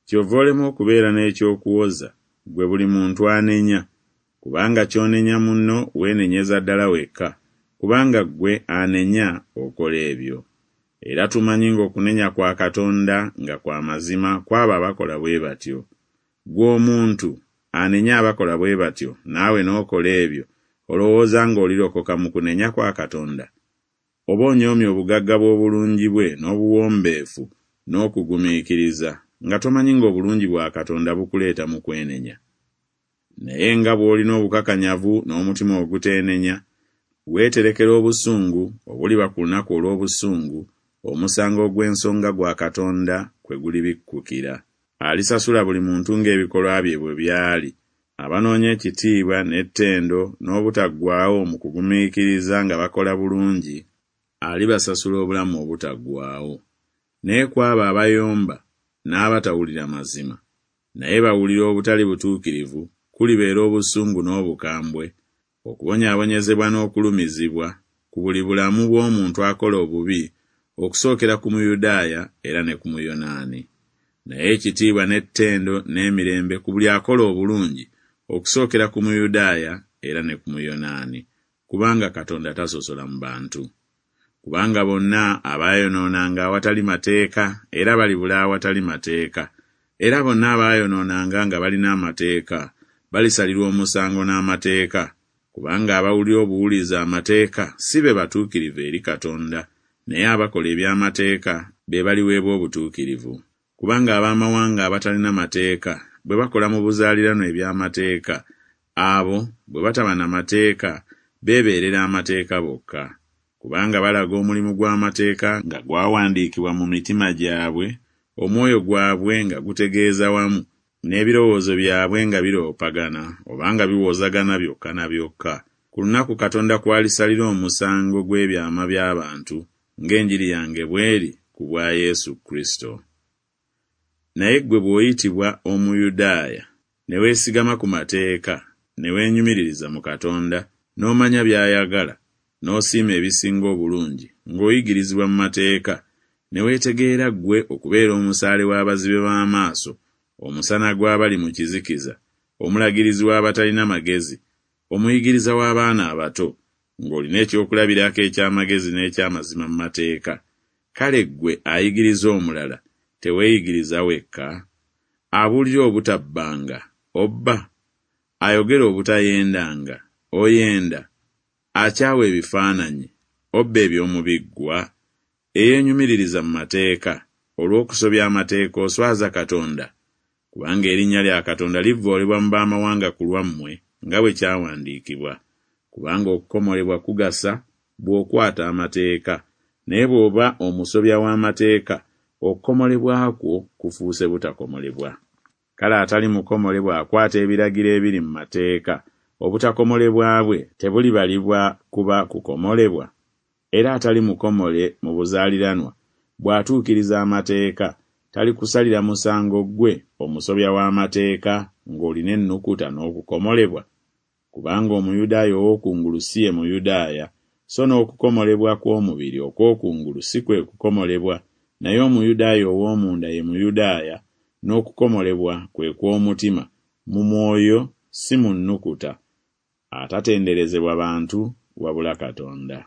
Kyova olema okubeera n'eky'okuwoza, ggwe buli muntu anenya, kubanga ky'onenya munno weenenyeza ddala wekka, kubanga ggwe anenya okola ebyo. Era tumanyi ng'okunenya kwa Katonda nga kwa mazima ku abo abakola bwe batyo. Ggwe omuntu, anenya abakola bwe batyo, naawe n'okola ebyo, olowooza ng'olirokoka mu kunenya kwa Katonda? Oba onyoomye obugagga bw'obulungi bwe n'obuwombeefu n'okugumiikiriza, nga tomanyi ng'obulungi bwa Katonda bukuleeta mu kwenenya? Naye nga bw'olina obukakanyavu n'omutima oguteenenya, weeterekera obusungu obuliba ku lunaku olw'obusungu, omusango ogw'ensonga gwa Katonda kwe gulibikkukira. Alisasula buli muntu ng'ebikolwa bye bwe byali, abanoonya ekitiibwa n'ettendo n'obutaggwaawo mu kugumiikiriza nga bakola bulungi, alibasasula obulamu obutaggwaawo, naye ku abo abayomba n'abatawulira mazima, naye bawulira obutali butuukirivu, kulibeera obusungu n'obukambwe, okubonyaabonyezebwa n'okulumizibwa, ku buli bulamu bw'omuntu akola obubi, okusookera ku Muyudaaya era ne ku Muyonaani. Naye ekitiibwa n'ettendo n'emirembe ku buli akola obulungi, okusookera ku Muyudaaya era ne ku Muyonaani, kubanga Katonda tasosola mu bantu. Kubanga bonna abaayonoonanga awatali mateeka era balibula awatali mateeka, era bonna abaayonoonanga nga balina amateeka balisalirwa omusango n'amateeka, kubanga abawulira obuwulizi amateeka si be batuukirivu eri Katonda, naye abakola eby'amateeka be baliweebwa obutuukirivu. Kubanga ab'amawanga abatalina mateeka bwe bakola mu buzaaliranwa eby'amateeka, abo bwe bataba na mateeka beebeerera amateeka bokka. Kubanga balaga omulimu gw'amateeka nga gwawandiikibwa mu mitima gyabwe, omwoyo gwabwe nga gutegeeza wamu, n'ebirowoozo byabwe nga biroopagana oba nga biwozagana byokka na byokka, ku lunaku Katonda kw'alisalira omusango gw'ebyama by'abantu, ng'enjiri yange bw'eri ku bwa Yesu Kristo. Naye ggwe bw'oyitibwa Omuyudaaya, ne weesigama ku mateeka, ne weenyumiririza mu Katonda, n'omanya by'ayagala, n'osiima ebisinga obulungi, ng'oyigirizibwa mu mateeka, ne weetegeera ggwe okubeera omusaale w'abazibe b'amaaso, omusana gw'abali mu kizikiza, omulagirizi w'abatalina magezi, omuyigiriza w'abaana abato, ng'olina ekyokulabirako eky'amagezi n'eky'amazima mu mateeka, kale ggwe ayigiriza omulala, teweeyigiriza wekka? Abuulira obutabbanga, obba? Ayogera obutayendanga, oyenda? Akyawa ebifaananyi, obba eby'omu biggwa? Eyeenyumiririza mu mateeka, olw'okusobya amateeka oswaza Katonda? Kubanga erinnya lya Katonda livvoolebwa mu b'amawanga ku lwammwe, nga bwe kyawandiikibwa. Kubanga okukomolebwa kugasa bw'okwata amateeka, naye bw'oba omusobya w'amateeka, okukomolebwa kwo kufuuse butakomolebwa. Kale atali mukomole bw'akwata ebiragiro ebiri mu mateeka, obutakomolebwa bwe tebulibalibwa kuba kukomolebwa? Era atali mukomole mu buzaaliranwa bw'atuukiriza amateeka, talikusalira musango ggwe omusobya w'amateeka ng'olina ennukuta n'okukomolebwa? Kubanga Omuyudaaya ow'okungulu si ye Muyudaaya, so n'okukomolebwa kw'omubiri okw'okungulu si kwe kukomolebwa, naye Omuyudaaya ow'omunda ye Muyudaaya, n'okukomolebwa kwe kw'omutima, mu mwoyo, si mu nnukuta, atatenderezebwa bantu, wabula Katonda.